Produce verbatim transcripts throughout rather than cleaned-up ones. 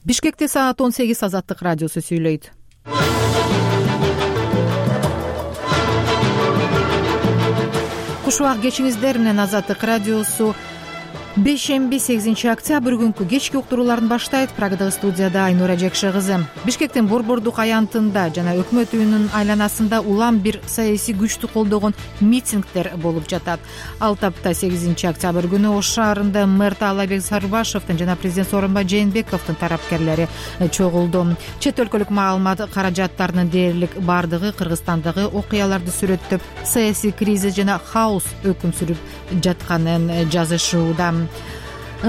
Бишкекте саат он сегиз Азаттык радиосу сүйлөйт. Куш убак кечиңиздер менен Азаттык радиосу бейшемби сегизинчи октябрь күнкү кечки уктурууларын баштайт. Прагадагы студияда Айнура Жекше кызы. Бишкектин Борбордук аянтында жана өкмөт үйүнүн айланасында улам бир саясий күчтү колдогон митингдер болуп жатат. Ал тапта сегизинчи октябрь күнү Ош шаарында мэр Таалайбек Сарыбашевдин жана президент Сооронбай Жээнбековдун тарапкерлери чогулду. Чет өлкөлүк маалымат каражаттарынын дээрлик бардыгы Кыргызстандагы окуяларды сүрөттөп, саясий кризис жана хаос өкүм сүрүп жатканын жазышууда.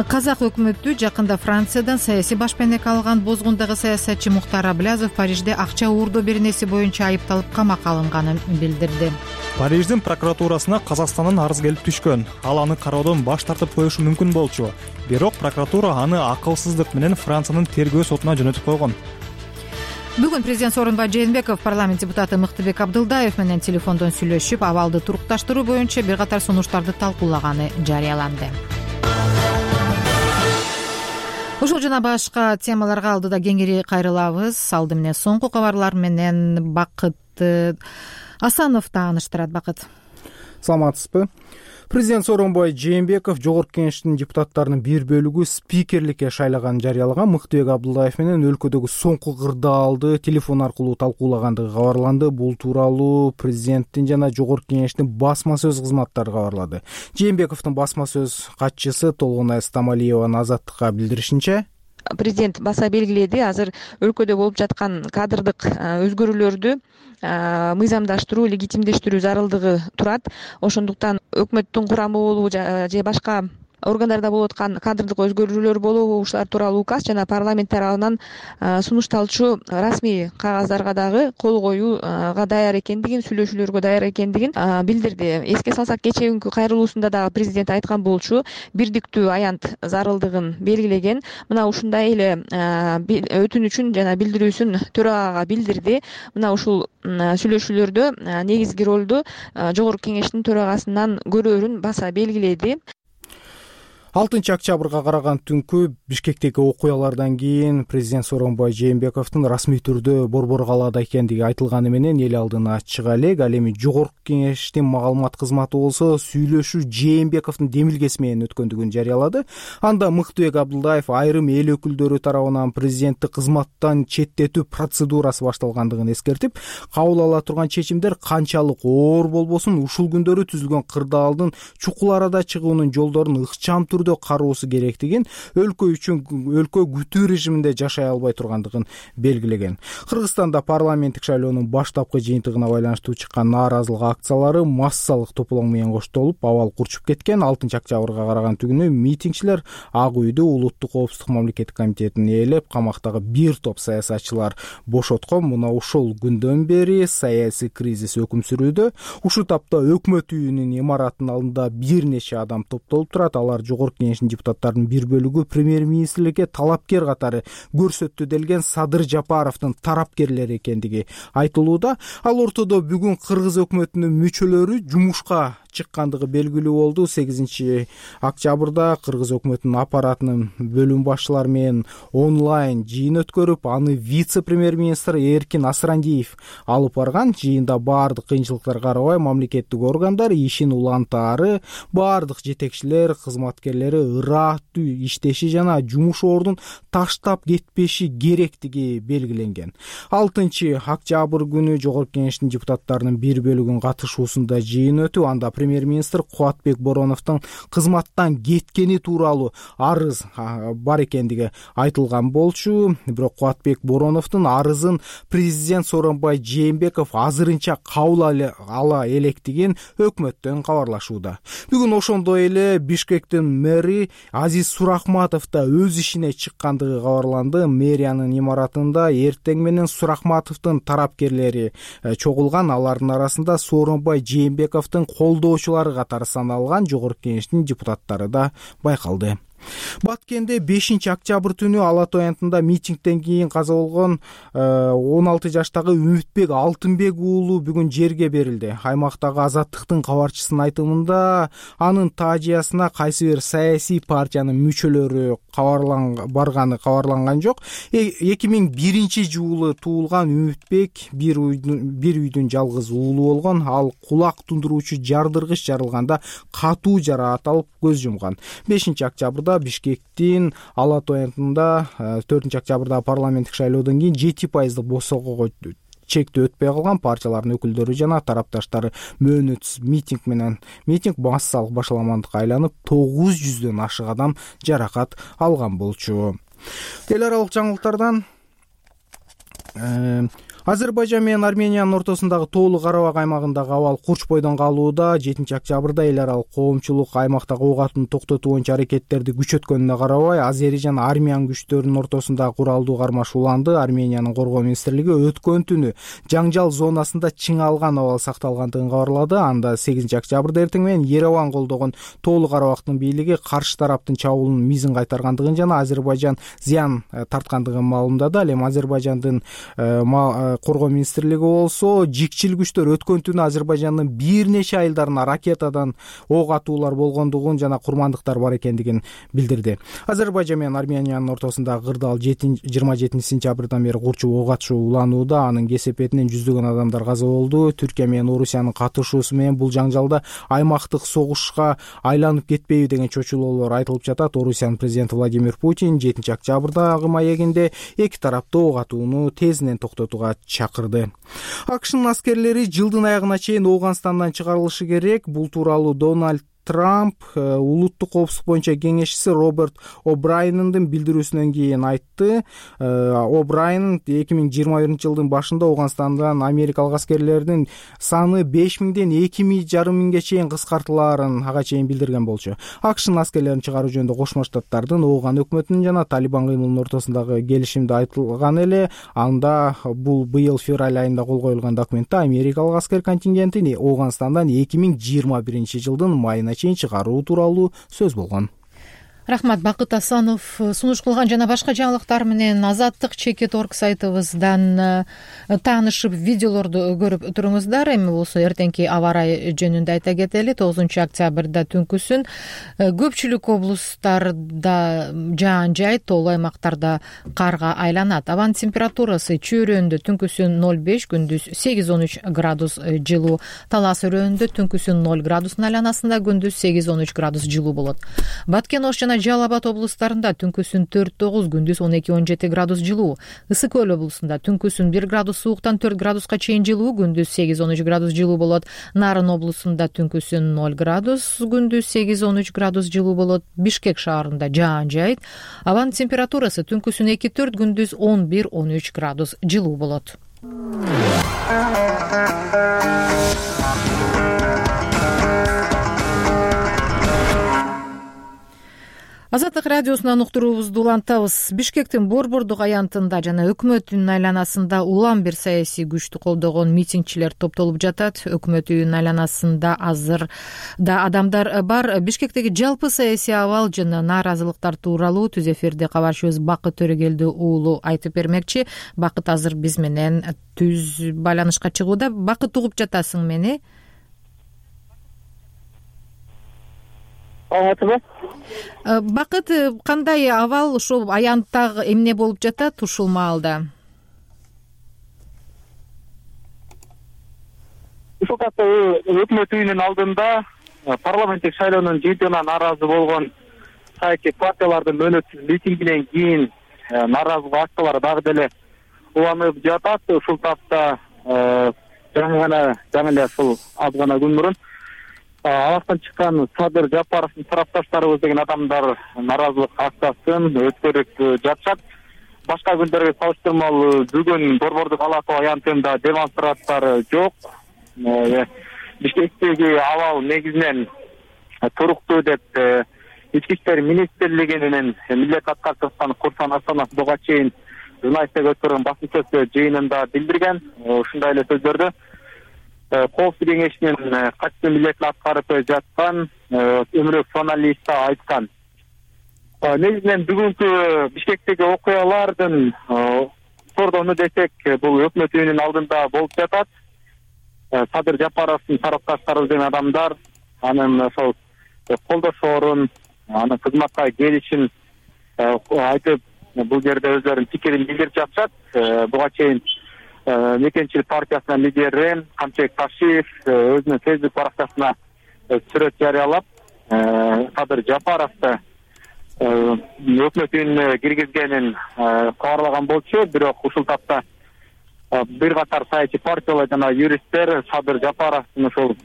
Казак өкмөтү жакында Франциядан саясий башпенек алган бозгундагы саясатчы Мухтар Аблязов Парижде акча уурдоо беренеси боюнча айыпталып камакка алынганын билдирди. Париждин прокуратурасына Казакстандын арыз келип түшкөн. Ал аны кароодон баш тартып коюшу мүмкүн болчу. Бирок прокуратура аны акылсыздык менен Франциянын тергөө сотуна жөнөтүп койгон. Бүгүн президент Сооронбай Жээнбеков парламент депутаты Мыктыбек Абдылдаев менен телефондон сүйлөшүп, абалды турукташтыруу боюнча бир катар сунуштарды талкуулаганы жарыяланды. Ушул жана башка темаларга алдыда кеңири кайрылабыз. Алды менен соңку кабарлар менен Бакыт Асанов тааныштырат. Бакыт, саламатсызбы? Президент Сооронбай Жээнбеков Жогорку Кеңештин депутаттарынын бир бөлүгү спикерликке шайлаганын жарыялаган. Мыктыбек Абдылдаев менен өлкөдөгү соңку кырдаалды телефон аркылуу талкуулагандыгы кабарланды. Бул тууралуу президенттин жана Жогорку Кеңештин басма сөз кызматтары кабарлады. Жээнбековдун басма сөз катчысы Толгонай Стамалиеванын Азаттыкка билдиришинче, президент баса белгиледи, азыр өлкөдө болуп жаткан кадрдык өзгөрүүлөрдү мыйзамдаштыруу, легитимдештирүү зарылдыгы турат. Ошондуктан өкмөттүн курамы болобу же башка органдарда болуп аткан кадрдык өзгөрүүлөр болобу, ушулар тууралуу указ жана парламент тарабынан сунушталчу расмий кагаздарга дагы кол коюуга даяр экендигин, сүйлөшүүлөргө даяр экендигин билдирди. Эске салсак, кечээ күнкү кайрылуусунда дагы президент айткан болчу, бирдиктүү аянт зарылдыгын белгилеген. Мына ушундай эле өтүнүчүн жана билдирүүсүн төрагага билдирди. Мына ушул сүйлөшүүлөрдө негизги ролду Жогорку Кеңештин төрагасынан көрөөрүн баса белгиледи. алтынчы октябрга караган түнкү Бишкектеги окуялардан кийин президент Сооронбай Жээнбековдун расмий түрдө Борбор калаада экендиги айтылганы менен эл алдына чыга элек. Ал эми Жогорку Кеңештин маалымат кызматы болсо сүйлөшүү Жээнбековдун демилгеси менен өткөндүгүн жарыялады. Анда Мыктыбек Абдылдаев айрым эл өкүлдөрү тарабынан президентти кызматтан четтетүү процедурасы башталгандыгын эскертип, кабыл ала турган чечимдер канчалык оор болбосун ушул күндөрү түзүлгөн кырдаалдын чукул арада чыгуунун жолдорун ыкчам түрдө кароосу керектигин, өлкө үчүн өлкө күтүү режиминде жашай албай тургандыгын белгилеген. Кыргызстанда парламенттик шайлоонун баштапкы жыйынтыгына байланыштуу чыккан нааразылык акциялары массалык тополоң менен коштолуп, абал курчуп кеткен. алтынчы октябрга караган түнү митингчилер Ак үйдү Улуттук коопсуздук мамлекеттик комитетин ээлеп, камактагы бир топ саясатчылар бошоткон. Мына ушул күндөн бери саясий кризис өкүм сүрүүдө. Ушул тапта өкмөт үйүнүн имаратынын алдында бир нече адам топтолуп турат. Алар Жогорку Кеңештин депутаттарынын бир бөлүгү премьер-министрликке талапкер катары көрсөттү делген Садыр Жапаровдун тарапкерлери экендиги айтылууда. Ал ортодо бүгүн кыргыз өкмөтүнүн мүчөлөрү жумушка чыккандыгы белгилүү болду. сегизинчи октябрда кыргыз өкмөтүнүн аппаратынын бөлүм башчылары менен онлайн жыйын өткөрүп, аны вице-премьер-министр Эркин Асрандиев алып барган. Жыйында баардык кыйынчылыктарга карабай мамлекеттик органдар ишин улантаары, баардык жетекчилер, кызматкерлери ыраттуу иштеши жана жумуш ордун таштап кетпеши керектиги белгиленген. алтынчы октябрь күнү Жогорку Кеңештин депутаттарынын бир бөлүгүнүн катышуусунда жыйын өтүп, анда премьер-министр Кубатбек Бороновдун кызматтан кеткени тууралуу арыз бар экендиги айтылган болчу. Бирок Кубатбек Бороновдун арызын президент Сооронбай Жээнбеков азырынча кабыл ала электигин өкмөттөн кабарлашууда. Бүгүн ошондой эле Бишкектин мэри Азиз Сурахматов да өз ишине чыккандыгы кабарланды. Мэриянын имаратында эртең менен Сурахматовдун тарапкерлери чогулган. Алардын арасында Сооронбай Жээнбековдун колдоочулары катары саналган Жогорку Кеңештин депутаттары да байкалды. Баткенде бешинчи октябрь түнү Ала Тоо аянтында митингден кийин каза болгон он алты жаштагы Үмүтбек Алтынбек уулу бүгүн жерге берилди. Аймактагы Азаттыктын кабарчысынын айтымында анын таажиясына кайсы бир саясий партиянын мүчөлөрү барганы кабарланган жок. эки миң биринчи жылы туулган Үмүтбек бир үйдүн жалгыз уулу болгон. Ал кулак тундуруучу жардыргыч жарылганда катуу жараат алып көз жумган. бешинчи октябрда Бишкектин Ала Тоо аянтында төртүнчү октябрда парламенттик шайлоодон кийин жети пайыздык босогого чектөө өтпөй калган партиялардын өкүлдөрү жана тарапташтары мөөнөтсүз митинг менен митинг массалык башаламандыкка айланып тогуз жүздөн ашык адам жаракат алган болчу. Эл аралык жаңылыктардан Азербайжан менен Армениянын ортосундагы Тоолу Карабак аймагындагы абал курч бойдон калууда. жетинчи октябрда эл аралык коомчулук аймактагы ок атууну токтотуу боюнча аракеттерди күчөткөнүнө карабай Азери жана Армян күчтөрүнүн ортосунда куралдуу кармаш уланды. Армениянын коргоо министрлиги өткөн түнү жаңжал зонасында чыңалган абал сакталгандыгын кабарлады. Анда сегизинчи октябрда эртең менен Ереван колдогон Тоолу Карабактын бийлиги каршы тараптын чабуулунун мизин кайтаргандыгын жана Азербайжан зыян тарткандыгын маалымдады. Ал эми Азербайжандын коргоо министрлиги болсо жикчил күчтөр өткөн түнү Азербайжандын бир нече айылдарына ракетадан ок атуулар болгондугун жана курмандыктар бар экендигин билдирди. Азербайжан менен Армениянын ортосундагы кырдаал жыйырма жетинчи сентябрдан бери курчуп ок атышуу уланууда. Анын кесепетинен жүздөгөн адамдар каза болду. Түркия менен Орусиянын катышуусу менен бул жаңжалда аймактык согушка айланып кетпейби деген чочулоолор айтылып жатат. Орусиянын президенти Владимир Путин жетинчи октябрдагы маегинде эки тарапты ок атууну тезинен токтотууга чакырды. АКШнын аскерлери жылдын аягына чейин Ооганстандан чыгарылышы керек. Бул тууралуу Дональд Трамп улуттук коопсуздук боюнча кеңешчиси Роберт О'Брайендин билдирүүсүнөн кийин айтты. О'Брайен эки миң жыйырма биринчи жылдын башында Ооганстандан америкалык аскерлердин саны беш миңден эки жарым миңге чейин кыскартылаарын ага чейин билдирген болчу. АКШнын аскерлерин чыгаруу жөнүндө Кошмо Штаттардын Ооган өкмөтүнүн жана Талибан кыймылынын ортосундагы келишимде айтылган эле. Анда бул быйыл февраль айында кол коюлган документте америкалык аскер контингентин Ооганстандан эки миң жыйырма биринчи жылдын майына чейин чыгаруу тууралуу сөз болгон. Рахмат, Бакыт Асанов сунуш кылган жана башка жаңылыктар менен Азаттык чекит орг сайтыбыздан таанышып видеолорду көрүп туруңуздар. Эми болсо эртеңки аба ырайы жөнүндө айта кетели. тогузунчу октябрда түнкүсүн көпчүлүк облустарда жаан жайт, тоолуу аймактарда карга айланат. Абанын температурасы Чүй өрөөнүндө түнкүсүн ноль беш, күндүз сегиз он үч градус жылуу. Талас өрөөнүндө түнкүсүн ноль градустун айланасында, күндүз сегиз он үч градус жылуу болот. Баткен Ош жана Жалал Абад облустарында түнкүсүн төрт тогуз, күндүз он эки он жети градус жылуу. Ысык Көл облусунда түнкүсүн бир градус сууктан төрт градуска чейин жылуу, күндүз сегиз он үч градус жылуу болот. Нарын облусунда түнкүсүн ноль градус, күндүз сегиз он үч градус жылуу болот. Бишкек шаарында жаан жайт. Абанын температурасы түнкүсүн эки төрт, күндүз он бир он үч градус жылуу болот. Азаттык радиосунан уктуруубузду улантабыз. Бишкектин Борбордук аянтында жана өкмөт үйүнүн айланасында улам бир саясий күчтү колдогон митингчилер топтолуп жатат. Өкмөт үйүнүн айланасында азыр да адамдар бар. Бишкектеги жалпы саясий абал жана нааразылыктар тууралуу түз эфирде кабарчыбыз Бакыт Төрөгелди уулу айтып бермекчи. Бакыт азыр биз менен түз байланышка чыгууда. Бакыт, угуп жатасың мени? Бакыт, кандай абал, ушул аянтта эмне болуп жатат ушул маалда? Ушул катта өкмөт үйүнүн алдында парламенттик шайлоонун жыйынтыгына нааразы болгон саясий партиялардын мөөнөтсүз митингинен кийин нааразылык акциялары дагы деле уланып жатат. Ушул тапта жаңы гана жаңы эле ушул аз гана күн мурун Аластан чыккан Садыр Жапаровдун тарапташтарыбыз деген адамдар нааразылык акциясын өткөрүп жатышат. Башка күндөргө салыштырмалуу бүгүн Борбордук Ала Тоо аянтында демонстрациялар жок. Бишкектеги абал негизинен туруктуу деп Ички иштер министрлигинин милдет аткарып жаткан Курсан Асанов буга чейин журналисттерге өткөргөн басма жыйынында билдирген. Ушундай эле сөздөрдү Коопсуздук кеңешинин катчы милдетин аткарып жаткан өмүрөк журналист айткан. негизинен бүгүнкү Бишкектеги окуялардын кордону десек, бул өкмөт үйүнүн алдында болуп жатат. Садыр Жапаровдун тарапташтары деген адамдар анын ошол колдошоорун, анын кызматка келишин айтып, бул жерде өздөрүнүн пикирин билдирип жатышат. Буга чейин Мекенчилик партиясынын лидери Камчыбек Ташиев өзүнүн фейсбук баракчасына сүрөт жарыялап, Садыр Жапаровду өкмөт үйүнө киргизгенин кабарлаган болчу. Бирок ушул тапта бир катар саясий партиялар жана юристтер Садыр Жапаровдун ушул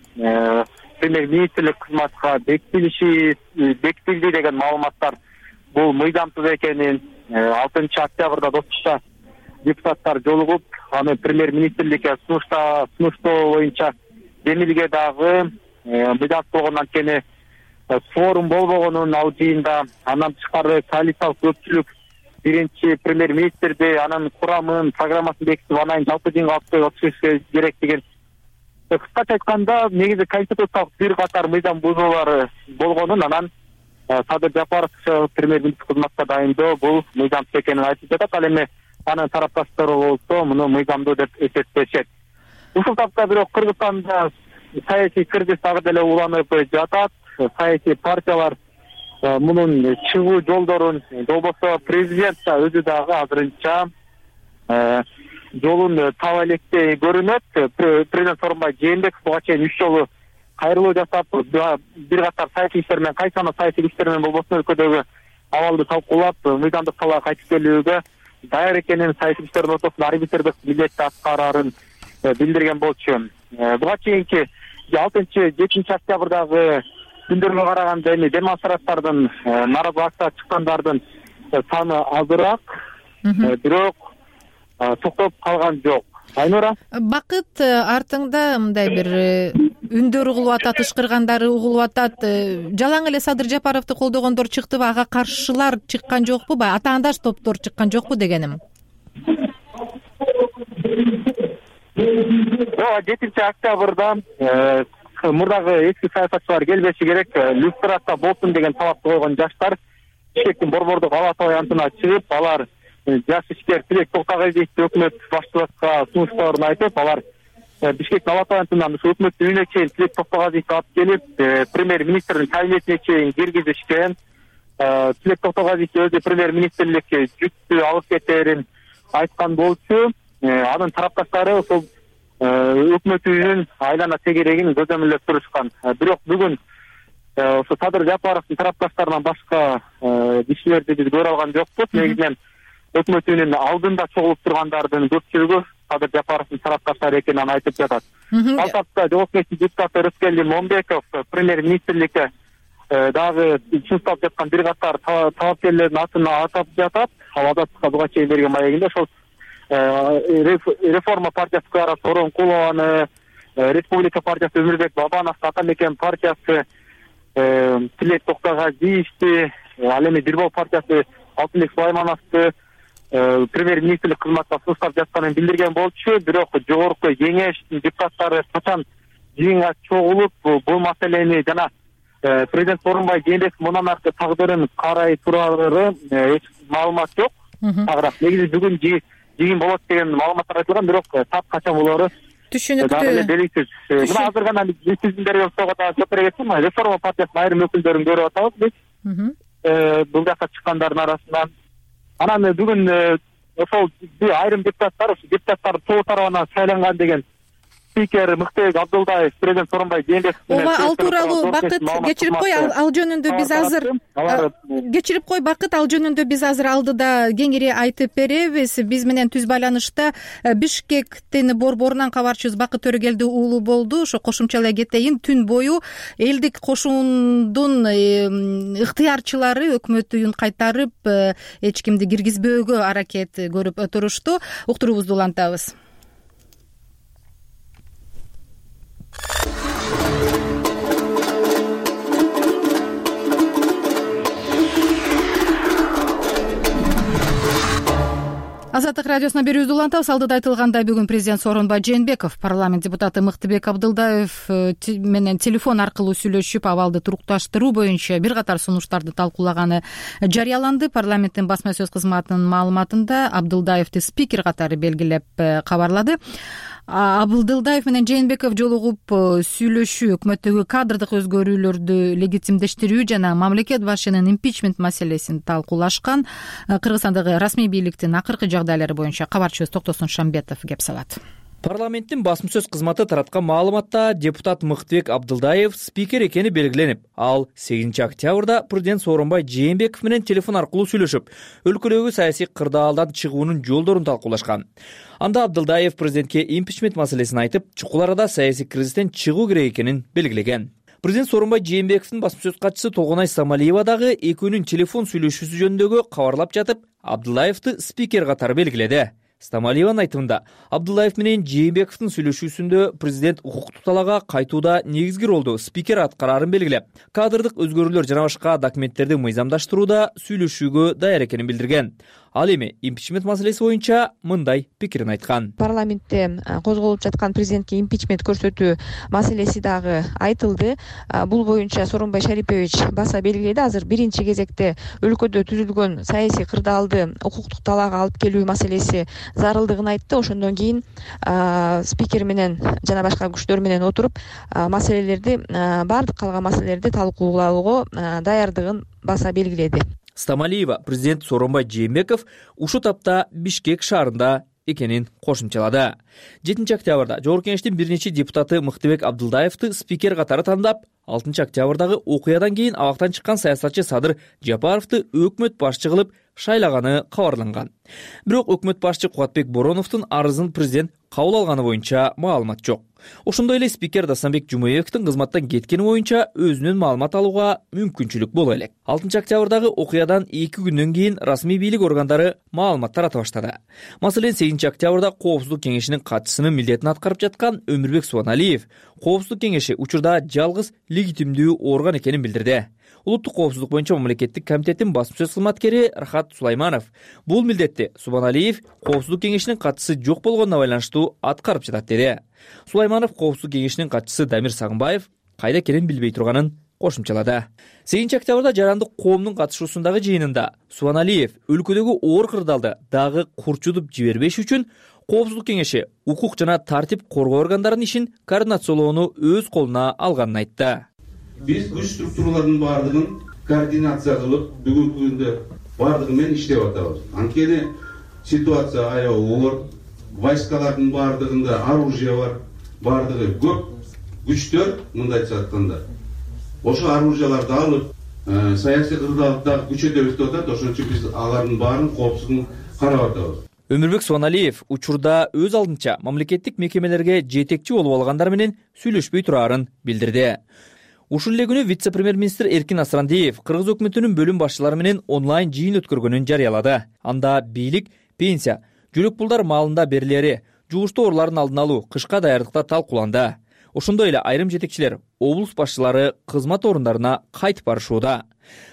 премьер-министрлик кызматка бекитилиши бекитилди деген маалыматтар бул мыйзамсыз экенин, алтынчы октябрда Достукча депутаттар жолугуп, аны премьер-министрликке сунуштоо боюнча Демилге дагы мыйзамсыз болгон, анткени форум болбогонун ал жыйында. Андан тышкары коалициялык көпчүлүк биринчи премьер-министрди, анын курамын, программасын бекитип, анан жалпы жыйынга алып отурушу керек деген. Кыскача айтканда, негизи конституциялык бир катар мыйзам бузуулары болгонун, анан Садыр Жапаров премьер-министр кызматка дайындоо бул мыйзамсыз экенин айтып жатат. Ал эми анын тарапташтары болсо муну мыйзамдуу деп эсептешет. Ушул тапта бирок Кыргызстанда саясий кризис дагы деле уланып жатат. Саясий партиялар мунун чыгуу жолдорун, болбосо президент да өзү дагы азырынча жолун таба электей көрүнөт. Президент Сооронбай Жээнбеков буга чейин үч жолу кайрылуу жасап, бир катар саясий иштер менен, кайсы гана саясий иштер менен болбосо өлкөдөгү абалды талкуулап, мыйзамдык талаа кайтып келүүгө даяр экенин, саясий иштердин ортосунда арбитрдик милдетти аткарарын билдирген болчу. Буга чейинки алтынчы жетинчи октябрдагы күндөргө караганда эми демонстрациялардын, нааразы акция чыккандардын саны азыраак, бирок токтоп калган жок. Айнура, Бакыт, артыңда мындай бир үндөр угулуп атат, ышкыргандары угулуп атат. Жалаң эле Садыр Жапаровду колдогондор чыктыбы, ага каршылар чыккан жокпу, баягы атаандаш топтор чыккан жокпу дегеним? жетинчи октябрда мурдагы эски саясатчылар келбеши керек, люстрация болсун деген талапты койгон жаштар Бишкектин борбордук ала-тоо аянтына чыгып, алар жаш ишкер Тилек Токтогазиевди өкмөт башчылыкка сунуштоорун айтып, алар Бишкектин ала-тоо аянтынан өкмөт үйүнө чейин Тилек Токтогазиевди алып келип, премьер-министрдин кабинетине чейин киргизишкен. Тилек Токтогазиев өзү премьер-министрликке жүктү алып кетерин айткан болчу. Анын тарапташтары ошол өкмөт үйүнүн айлана тегерегин көзөмөлдөп турушкан. Бирок бүгүн ошо Садыр Жапаровдун тарапташтарынан башка кишилерди биз көрө алган жокпуз. Негизинен өкмөт үйүнүн алдында чогулуп тургандардын көпчүлүгү Садыр Жапаровдун тарапташтары экенин айтып жатат. Ал тапта жоопкерчилик депутаты Рыскелди Момбеков премьер-министрликке дагы сунушталып жаткан бир катар талапкерлердин атын атап жатат. Ал азаттыкка буга чейин берген маегинде ошол Реформа партиясы Кара Сооронкулованы, Республика партиясы Өмүрбек Бабановду, Атамекен партиясы Тилек Токтогазиевди, ал эми Бирбол партиясы Алтынбек Сулаймановду премьер-министрлик кызматына сунуштап жатканын билдирген болчу. Бирок жогорку кеңештин депутаттары качан жыйынга чогулуп бул маселени жана президент Сооронбай Жээнбеков мындан аркы тагдырын карай турары эч маалымат жок. Агыраак негизи бүгүн жыйын болот деген маалыматтар айтылган, бирок тап качан болору түшүнүктүү. Дагы эле белгисиз. Мына азыр гана биздин деревостого дагы жооп бере кетсем, Реформа партиясынын айрым өкүлдөрүн көрүп атабыз биз. Бул жакка чыккандардын арасынан. Анан бүгүн ошол айрым депутаттар, депутаттар тобу тарабынан шайланган деген спикер Мыктыбек Абдулдаев президент Сооронбай Жээнбеков Ооба, ал тууралуу Бакыт кечирип кой, ал жөнүндө биз азыр кечирип кой Бакыт, ал жөнүндө биз азыр алдыда кеңири айтып беребиз. Биз менен түз байланышта Бишкектин борборунан кабарчыбыз Бакыт Төрөгелди уулу болду. Ошо кошумча эле кетейин, түн бою элдик кошундун ыктыярчылары өкмөт үйүн кайтарып, эч кимди киргизбөөгө аракет көрүп турушту. Уктуруубузду улантабыз. Азаттык радиосуна берүүбүздү улантабыз. Алдыда айтылгандай, бүгүн президент Сооронбай Жээнбеков парламент депутаты Мыктыбек Абдылдаев менен телефон аркылуу сүйлөшүп, абалды турукташтыруу боюнча бир катар сунуштарды талкуулаганы жарыяланды. Парламенттин басма сөз кызматынын маалыматында Абдылдаевди спикер катары белгилеп кабарлады. Абдылдаев менен Жээнбеков жолугуп сүйлөшүү өкмөттөгү кадрдык өзгөрүүлөрдү легитимдештирүү жана мамлекет башчынын импичмент маселесин талкуулашкан. Кыргызстандагы расмий бийликтин акыркы жагдайлары боюнча кабарчыбыз Токтосун Шамбетов кеп салат. Парламенттин басма сөз кызматы тараткан маалыматта депутат Мыктыбек Абдылдаев спикер экени белгиленип, ал сегизинчи октябрда президент Сооронбай Жээнбеков менен телефон аркылуу сүйлөшүп, өлкөдөгү саясий кырдаалдан чыгуунун жолдорун талкуулашкан. Анда Абдылдаев президентке импичмент маселесин айтып, чукул арада саясий кризистен чыгуу керек экенин белгилеген. Президент Сооронбай Жээнбековдун басма сөз катчысы Толгонай Самалиева дагы экөөнүн телефон сүйлөшүүсү жөнүндөгү кабарлап жатып, Абдылдаевди спикер катары белгиледи. Стамалиеванын айтымында, Абдылдаев менен Жээнбековдун сүйлөшүүсүндө президент укуктук талаага кайтууда негизги ролду спикер аткарарын белгилеп, кадрдык өзгөрүүлөр жана башка документтерди мыйзамдаштырууда сүйлөшүүгө даяр экенин билдирген. Ал эми импичмент маселеси боюнча мындай пикирин айткан. Парламентте козголуп жаткан президентке импичмент көрсөтүү маселеси дагы айтылды. Бул боюнча Сооронбай Шарипович баса белгиледи. Азыр биринчи кезекте өлкөдө түзүлгөн саясий кырдаалды укуктук талаага алып келүү маселеси зарылдыгын айтты. Ошондон кийин спикер менен жана башка күчтөр менен отуруп маселелерди, баардык калган маселелерди талкуулоого даярдыгын баса белгиледи. Стамалиева президент Сооронбай Жээнбеков ушул тапта Бишкек шаарында экенин кошумчалады. жетинчи октябрда Жогорку Кеңештин бир нече депутаты Мыктыбек Абдылдаевди спикер катары тандап, алтынчы октябрдагы окуядан кийин абактан чыккан саясатчы Садыр Жапаровду өкмөт башчы кылып шайлаганы кабарланган. Бирок өкмөт башчы Кубатбек Бороновдун арызын президент кабыл алганы боюнча маалымат жок. Ошондой эле спикер Дастамбек Жумаевдин кызматтан кеткени боюнча өзүнөн маалымат алууга мүмкүнчүлүк боло элек. алтынчы октябрдагы окуядан эки күндөн кийин расмий бийлик органдары маалымат тарата баштады. Маселен, сегизинчи октябрда Коопсуздук кеңешинин катчысынын милдетин аткарып жаткан Өмүрбек Субаналиев Коопсуздук кеңеши учурда жалгыз легитимдүү орган экенин билдирди. Улуттук коопсуздук боюнча мамлекеттик комитеттин басма сөз кызматкери Рахат Сулайманов бул милдетти Субаналиев Коопсуздук кеңешинин катчысы жок болгонуна байланыштуу аткарып жатат деди. Сулайманов Коопсуздук кеңешинин катчысы Дамир Сагынбаев кайда экенин билбей турганын кошумчалады. сегизинчи октябрда жарандык коомдун катышуусундагы жыйынында Субаналиев өлкөдөгү оор кырдаалды дагы курчутуп жибербеш үчүн Коопсуздук кеңеши укук жана тартип коргоо органдарынын ишин координациялоону өз колуна алганын айтты. Биз күч структураларынын баардыгын координация кылып, бүгүнкү күндө баардыгы менен иштеп атабыз. Анткени ситуация аябай оор, войскалардын баардыгында оружие бар, баардыгы көп күчтөр, мындайча айтканда. Ошо оружияларды алып, саясий кырдаалда күчөтөбүз деп атат, ошон үчүн биз алардын баарын коопсуздугун карап атабыз. Өмүрбек Субаналиев учурда өз алдынча мамлекеттик мекемелерге жетекчи болуп алгандар менен сүйлөшпөй турарын билдирди. Ушул эле күнү вице-премьер-министр Эркин Асрандиев Кыргыз өкмөтүнүн бөлүм башчылары менен онлайн жыйын өткөргөнүн жарыялады. Анда бийлик, пенсия, жөлөк пулдар маалында берилери, жугуштуу оорулардын алдын алуу, кышка даярдыкта талкууланды. Ошондой эле айрым жетекчилер, облус башчылары кызмат орундарына кайтып барышууда.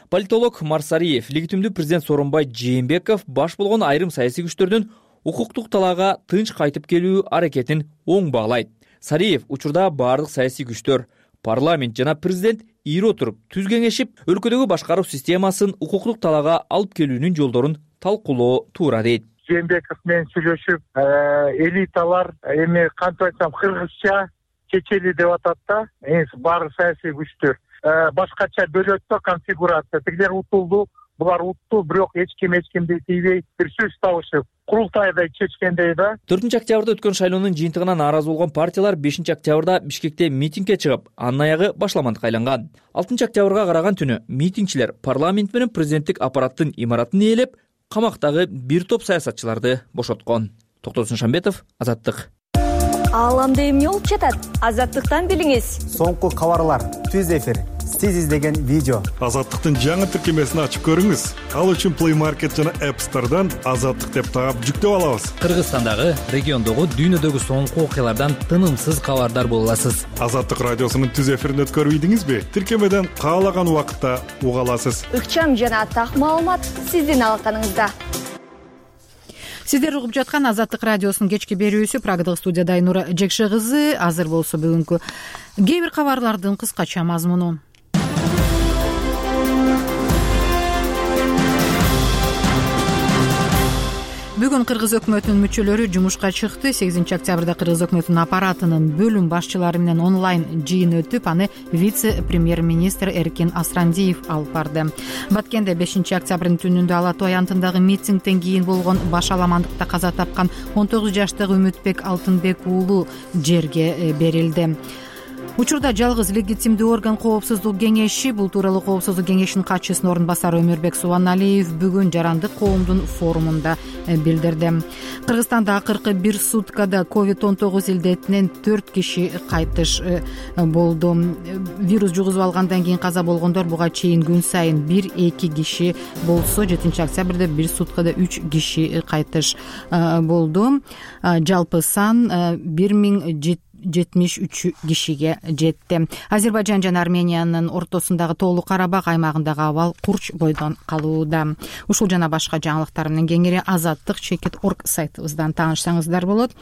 Политолог Марсариев легитимдүү президент Сооронбай Жээнбеков баш болгон айрым саясий күчтөрдүн укуктук талаага тынч кайтып келүү аракетин оң баалайт. Сариев учурда баардык саясий күчтөр, парламент жана президент ийри отуруп түз кеңешип, өлкөдөгү башкаруу системасын укуктук талаага алып келүүнүн жолдорун талкуулоо туура дейт. Жээнбеков менен сүйлөшүп, элиталар эми кантип айтсам кыргызча чечели деп атат да, баары саясий күчтөр башкача бөлөт да конфигурация. Тигилер утулду, булар утту, бирок эч ким эч кимди тийбей бир сөз табышып, курултайда чечкендей да. төртүнчү октябрда өткөн шайлоонун жыйынтыгына нааразы болгон партиялар бешинчи октябрда Бишкекте митингге чыгып, анын аягы башламандыкка айланган. алтынчы октябрга караган түнү митингчилер парламент менен президенттик аппараттын имаратын ээлеп, камактагы бир топ саясатчыларды бошоткон. Токтосун Шамбетов, Азаттык. Ааламда эмне болуп жатат? Азаттыктан билиңиз. Соңку кабарлар, түз эфир, сиз издеген видео. Азаттыктын жаңы тиркемесин ачып көрүңүз. Ал үчүн Play Market жана App Store'дан Азаттык деп таап жүктөп алабыз. Кыргызстандагы, региондогу, дүйнөдөгү соңку окуялардан тынымсыз кабардар боло аласыз. Азаттык радиосунун түз эфирин өткөрүп ийдиңизби? Тиркемеден каалаган убакытта уга аласыз. Ыкчам жана так маалымат сиздин алаканыңызда. Сиздер угуп жаткан Азаттык радиосунун кечки берүүсү. Прагадагы студияда Айнура Жекше кызы. Азыр болсо бүгүнкү кээ бир кабарлардын кыскача мазмуну. Бүгүн Кыргыз өкмөтүнүн мүчөлөрү жумушка чыкты. сегизинчи октябрда Кыргыз өкмөтүнүн аппаратынын бөлүм башчылары менен онлайн жыйын өтүп, аны вице-премьер-министр Эркин Асрандиев алып барды. Баткенде бешинчи октябрдын түнүндө Ала Тоо аянтындагы митингден кийин болгон башаламандыкта каза тапкан он тогуз жаштагы Үмүтбек Алтынбек уулу жерге берилди. Учурда жалгыз легитимдүү орган Коопсуздук кеңеши. Бул тууралуу Коопсуздук кеңешинин катчысынын орун басары Өмүрбек Субаналиев бүгүн жарандык коомдун форумунда билдирди. Кыргызстанда акыркы бир суткада ковид он тогуз илдетинен төрт киши кайтыш болду. Вирус жугузуп алгандан кийин каза болгондор буга чейин күн сайын бир эки киши болсо, жетинчи октябрда бир суткада үч киши кайтыш болду. Жалпы сан бир миң жетимиш үч кишиге жетти. Азербайжан жана Армениянын ортосундагы Тоолуу Карабак аймагындагы абал курч бойдон калууда. Ушул жана башка жаңылыктар менен кеңири азаттык чекит орг сайтыбыздан таанышсаңыздар болот.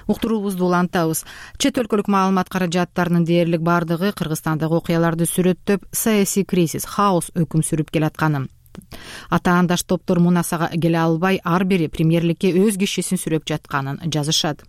Уктуруубузду улантабыз. Чет өлкөлүк маалымат каражаттарынын дээрлик бардыгы Кыргызстандагы окуяларды сүрөттөп, саясий кризис, хаос өкүм сүрүп келатканын, атаандаш топтор мунасага келе албай, ар бири премьерликке өз кишисин сүрөп жатканын жазышат.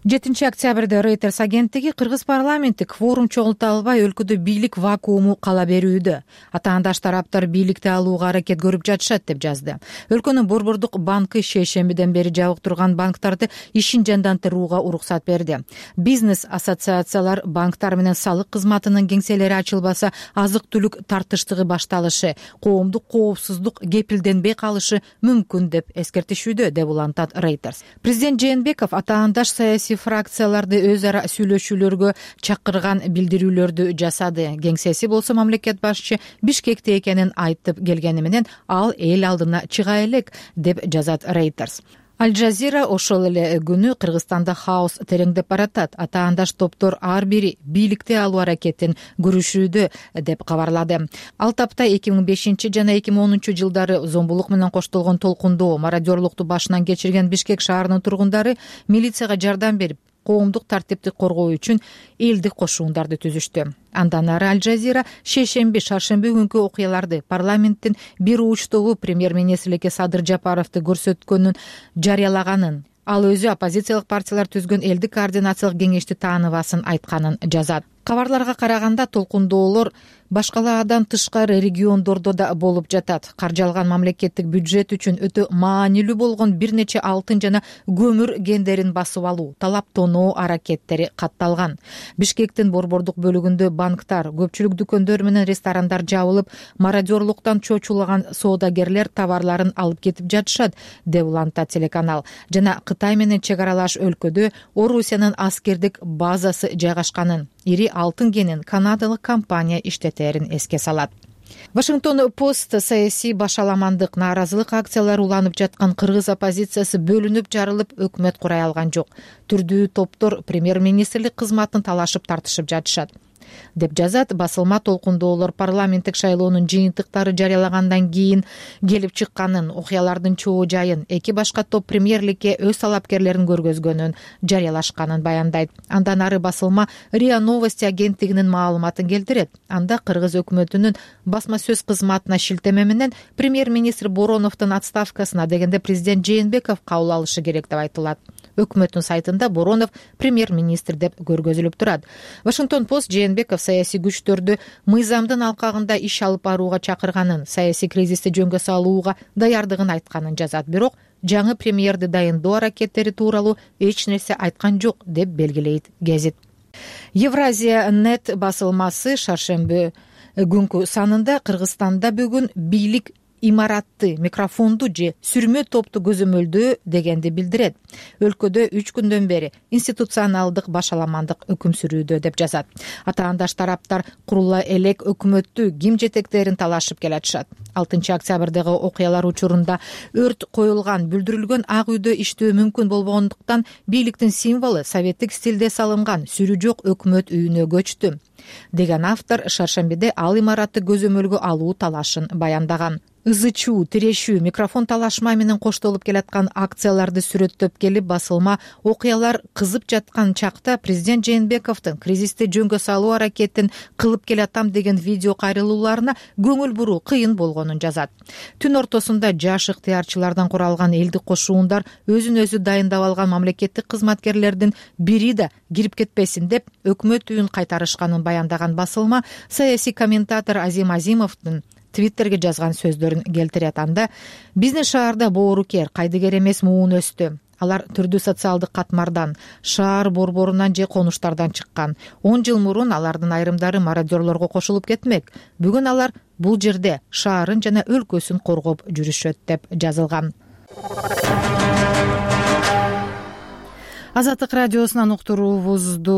жетинчи октябрда Reuters агенттиги Кыргыз парламенти кворум чогулта албай өлкөдө бийлик вакууму кала берүүдө. Атаандаш тараптар бийликти алууга аракет көрүп жатышат деп жазды. Өлкөнүн Борбордук банкы шейшембиден бери жабык турган банктарды ишин жандантырууга уруксат берди. Бизнес ассоциациялар банктар менен салык кызматынын кеңселери ачылбаса, азык-түлүк тартыштыгы башталышы, коомдук коопсуздук кепилденбей калышы мүмкүн деп эскертишүүдө, деп улантат Reuters. Президент Жээнбеков атаандаш саясий фракцияларды өз ара сүйлөшүүлөргө чакырган билдирүүлөрдү жасады. Кеңсеси болсо мамлекет башчы Бишкекте экенин айтып келгени менен ал эл алдына чыга элек, деп жазат Reuters. Аль-Жазира ошол эле күнү Кыргызстанда хаос тереңдеп баратат. Атаандаш топтор ар бири бийликти алуу аракетин көрүшүүдө, деп кабарлады. Ал тапта эки миң бешинчи жана эки миң онунчу жылдары зомбулук менен коштолгон толкундоо, мародерлукту башынан кечирген Бишкек шаарынын тургундары милицияга жардам берип, коомдук тартипти коргоо үчүн элдик кошуундарды түзүштү. Андан ары Аль-Жазира шейшемби, шаршемби күнкү окуяларды парламенттин бир уч тобу премьер-министрликке Садыр Жапаровду көрсөткөнүн жарыялаганын, ал өзү оппозициялык партиялар түзгөн элдик координациялык кеңешти тааныбасын айтканын жазат. Кабарларга караганда толкундоолор башкалардан тышкары региондордо да болуп жатат. Каржалган мамлекеттик бюджет үчүн өтө маанилүү болгон бир нече алтын жана көмүр кендерин басып алуу, талап тоноо аракеттери катталган. Бишкектин борбордук бөлүгүндө банктар, көпчүлүк дүкөндөр менен ресторандар жабылып, мародерлуктан чочулаган соодагерлер товарларын алып кетип жатышат, деп улантат телеканал. Жана Кытай менен чек аралаш өлкөдө Орусиянын аскердик базасы жайгашканын, ири алтын кенин канадалык компания иштетерин эске салат. Вашингтон Пост саясий башаламандык, нааразылык акциялары уланып жаткан кыргыз оппозициясы бөлүнүп жарылып, өкмөт курай алган жок. Түрдүү топтор премьер-министрлик кызматын талашып тартышып жатышат, деп жазат. Басылма толкундоолор парламенттик шайлоонун жыйынтыктары жарыялагандан кийин келип чыкканын, окуялардын чоо жайын, эки башка топ премьерликке өз талапкерлерин көргөзгөнүн жарыялашканын баяндайт. Андан ары басылма РИА Новости агенттигинин маалыматын келтирет. Анда кыргыз өкмөтүнүн басма сөз кызматына шилтеме менен премьер-министр Бороновдун отставкасына дегенде президент Жээнбеков кабыл алышы керек деп айтылат. Өкмөттүн сайтында Боронов премьер-министр деп көргөзүлүп турат. Вашингтон Пост Жээнбеков саясий күчтөрдү мыйзамдын алкагында иш алып барууга чакырганын, саясий кризисти жөнгө салууга даярдыгын айтканын жазат. Бирок жаңы премьерди дайындоо аракеттери тууралуу эч нерсе айткан жок, деп белгилейт гезит. Евразия нет басылмасы шаршемби күнкү санында Кыргызстанда бүгүн бийлик имаратты, микрофонду же сүрмө топту көзөмөлдөө дегенди билдирет. Өлкөдө үч күндөн бери институционалдык башаламандык өкүм сүрүүдө, деп жазат. Атаандаш тараптар курула элек өкмөттү ким жетектерин талашып келатышат. алтынчы октябрдагы окуялар учурунда өрт коюлган, бүлдүрүлгөн Ак үйдө иштөө мүмкүн болбогондуктан бийликтин символу советтик стилде салынган сүрү жок өкмөт үйүнө көчтү, деген автор шаршембиде ал имаратты көзөмөлгө алуу талашын баяндаган. ызы чуу, тирешүү, микрофон талашма менен коштолуп келаткан акцияларды сүрөттөп келип басылма окуялар кызып жаткан чакта президент Жээнбековдун кризисти жөнгө салуу аракетин кылып келатам деген видео кайрылууларына көңүл буруу кыйын болгонун жазат. Түн ортосунда жаш ыктыярчылардан куралган элдик кошуундар өзүн өзү дайындап алган мамлекеттик кызматкерлердин бири да кирип кетпесин деп өкмөт үйүн кайтарышканын баяндаган басылма саясий комментатор Азим Азимовдун твиттерге жазган сөздөрүн келтирет. Анда бизнес шаарда боорукер, кайдыгер эмес муун өстү. Алар түрдүү социалдык катмардан, шаар борборунан же конуштардан чыккан. он жыл мурун алардын айрымдары мародерлорго кошулуп кетмек. Бүгүн алар бул жерде шаарын жана өлкөсүн коргоп жүрүшөт деп жазылган. Азаттык радиосунан уктуруубузду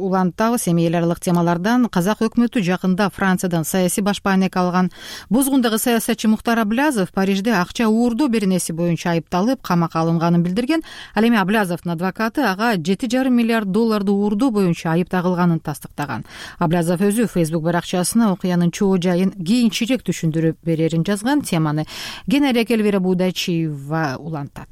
улантабыз. Эми эл аралык темалардан казак өкмөтү жакында Франциядан саясий башпаанек алган бузгундагы саясатчы Мухтар Аблязов Парижде акча уурдоо беренеси боюнча айыпталып камакка алынганын билдирген. Ал эми Аблязовдун адвокаты ага жети жарым миллиард долларды уурдоо боюнча айып тагылганын тастыктаган. Аблязов өзү Facebook баракчасына окуянын чоо жайын кийинчерээк түшүндүрүп берерин жазган. Теманы Генерия Келвера Будачиева улантат.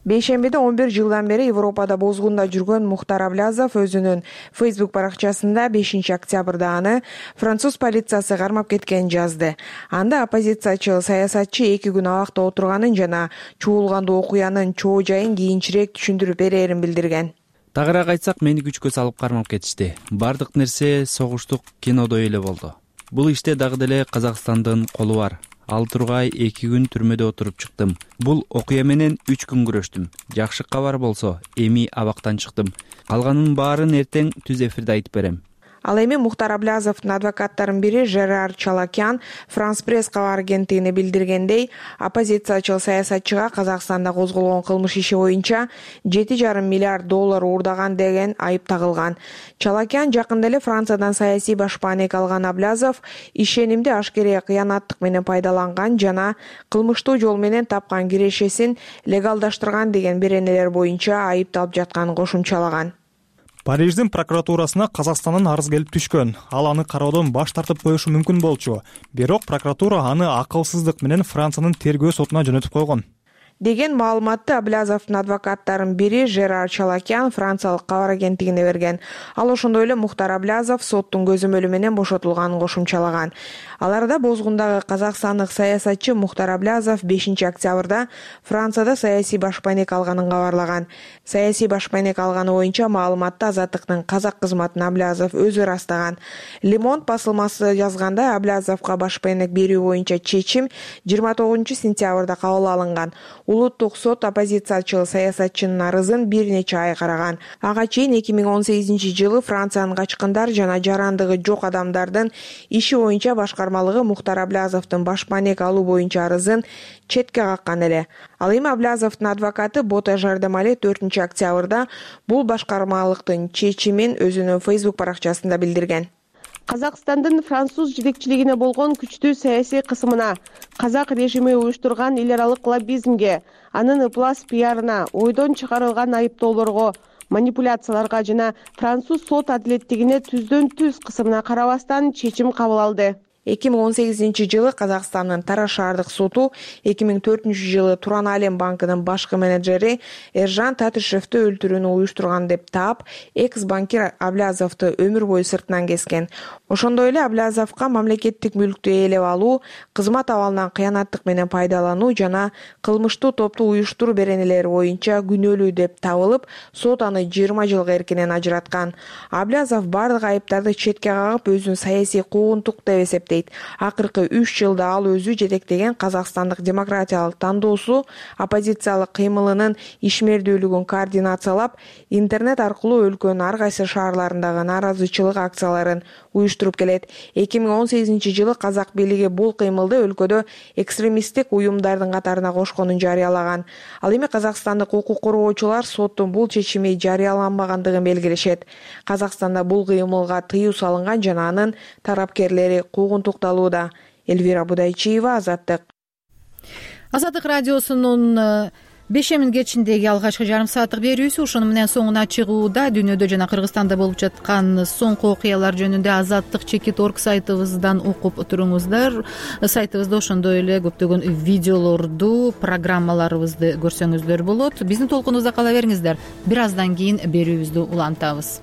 Бейшембиде он бир жылдан бери Европада бозгунда жүргөн Мухтар Аблязов өзүнүн Facebook баракчасында бешинчи октябрда аны француз полициясы кармап кеткенин жазды. Анда оппозициячыл саясатчы эки күн абакта отурганын жана чуулгандуу окуянын чоо жайын кийинчерээк түшүндүрүп берерин билдирген. Тагыраак айтсак, мени күчкө салып кармап кетишти. Бардык нерсе согуштук кинодой эле болду. Бул иште дагы деле Казакстандын колу бар. Ал тургай эки күн түрмөдө отуруп чыктым. Бул окуя менен үч күн күрөштүм. Жакшы кабар болсо, эми абактан чыктым. Калганын баарын эртең түз эфирде айтып берем. Ал эми Мухтар Аблязовдун адвокаттарынын бири Жерар Чалакян Франс пресс кабар агенттигине билдиргендей, оппозициячыл саясатчыга Казакстанда козголгон кылмыш иши боюнча жети жарым миллиард доллар уурдаган деген айып тагылган. Чалакян жакында эле Франциядан саясий башпаанек алган Аблязов ишенимди ашкере кыянаттык менен пайдаланган жана кылмыштуу жол менен тапкан кирешесин легалдаштырган деген беренелер боюнча айыпталып жатканын кошумчалаган. Париждин прокуратурасына Казакстандан арыз келип түшкөн. Ал аны кароодон баш тартып коюшу мүмкүн болчу. Бирок прокуратура аны акылсыздык менен Франциянын тергөө сотуна жөнөтүп койгон деген маалыматты Аблязовдун адвокаттарынын бири Жерар Чалакян франциялык кабар агенттигине берген. Ал ошондой эле Мухтар Аблязов соттун көзөмөлү менен бошотулганын кошумчалаган. Аларда бозгундагы казакстандык саясатчы Мухтар Аблязов бешинчи октябрда Францияда саясий башпаанек алганын кабарлаган. Саясий башпаанек алганы боюнча маалыматты Азаттыктын казак кызматын Аблязов өзү ырастаган. Le Monde басылмасы жазгандай, Аблязовго башпаанек берүү боюнча чечим жыйырма тогузунчу сентябрда кабыл алынган. Улуттук сот оппозициячыл саясатчынын арызын бир нече ай караган. Ага чейин эки миң он сегизинчи жылы Франциянын качкындар жана жарандыгы жок адамдардын иши боюнча башкармалыгы Мухтар Аблязовдун башпаанек алуу боюнча арызын четке каккан эле. Ал эми Аблязовдун адвокаты Бота Жардамали төртүнчү октябрда бул башкармалыктын чечимин өзүнүн Facebook баракчасында билдирген. Казакстандын француз жетекчилигине болгон күчтүү саясий кысымына, казак режими уюштурган эл аралык лоббизмге, анын ыплас пиарына, ойдон чыгарылган айыптоолорго, манипуляцияларга жана француз сот адилеттигине түздөн түз кысымына карабастан чечим кабыл алды. эки миң он сегизинчи жылы Казакстандын Тараз шаардык соту эки миң төртүнчү жылы Туран Алем банкынын башкы менеджери Эржан Татышевди өлтүрүүнү уюштурган деп таап, экс-банкир Аблязовду өмүр бою сыртынан кескен. Ошондой эле Аблязовго мамлекеттик мүлктү ээлеп алуу, кызмат абалынан кыянаттык менен пайдалануу жана кылмыштуу топту уюштуруу беренелери боюнча күнөөлүү деп табылып, сот аны жыйырма жылга эркинен ажыраткан. Аблязов бардык айыптарды четке кагып, өзүн саясий куугунтук деп эсептейт. Акыркы үч жылда ал өзү жетектеген Казакстандык демократиялык тандоосу оппозициялык кыймылынын ишмердүүлүгүн координациялап, интернет аркылуу өлкөнүн ар кайсы шаарларындагы нааразычылык акцияларын уюштуруп келет. эки миң он сегизинчи жылы казак бийлиги бул кыймылды өлкөдө экстремисттик уюмдардын катарына кошконун жарыялаган. Ал эми казакстандык укук коргоочулар соттун бул чечими жарыяланбагандыгын белгилешет. Казакстанда бул кыймылга тыюу салынган жана анын тарапкерлери Эльвира Будайчиева, Азаттык. Азаттык радиосунун бешемин кечиндеги алгачкы жарым сааттык берүүбүз ушуну менен соңуна чыгууда. Дүйнөдө жана Кыргызстанда болуп жаткан соңку окуялар жөнүндө азаттык чекит орг сайтыбыздан окуп туруңуздар. Сайтыбызда ошондой эле көптөгөн видеолорду, программаларыбызды көрсөңүздөр болот. Биздин толкунубузда кала бериңиздер. Бир аздан кийин берүүбүздү улантабыз.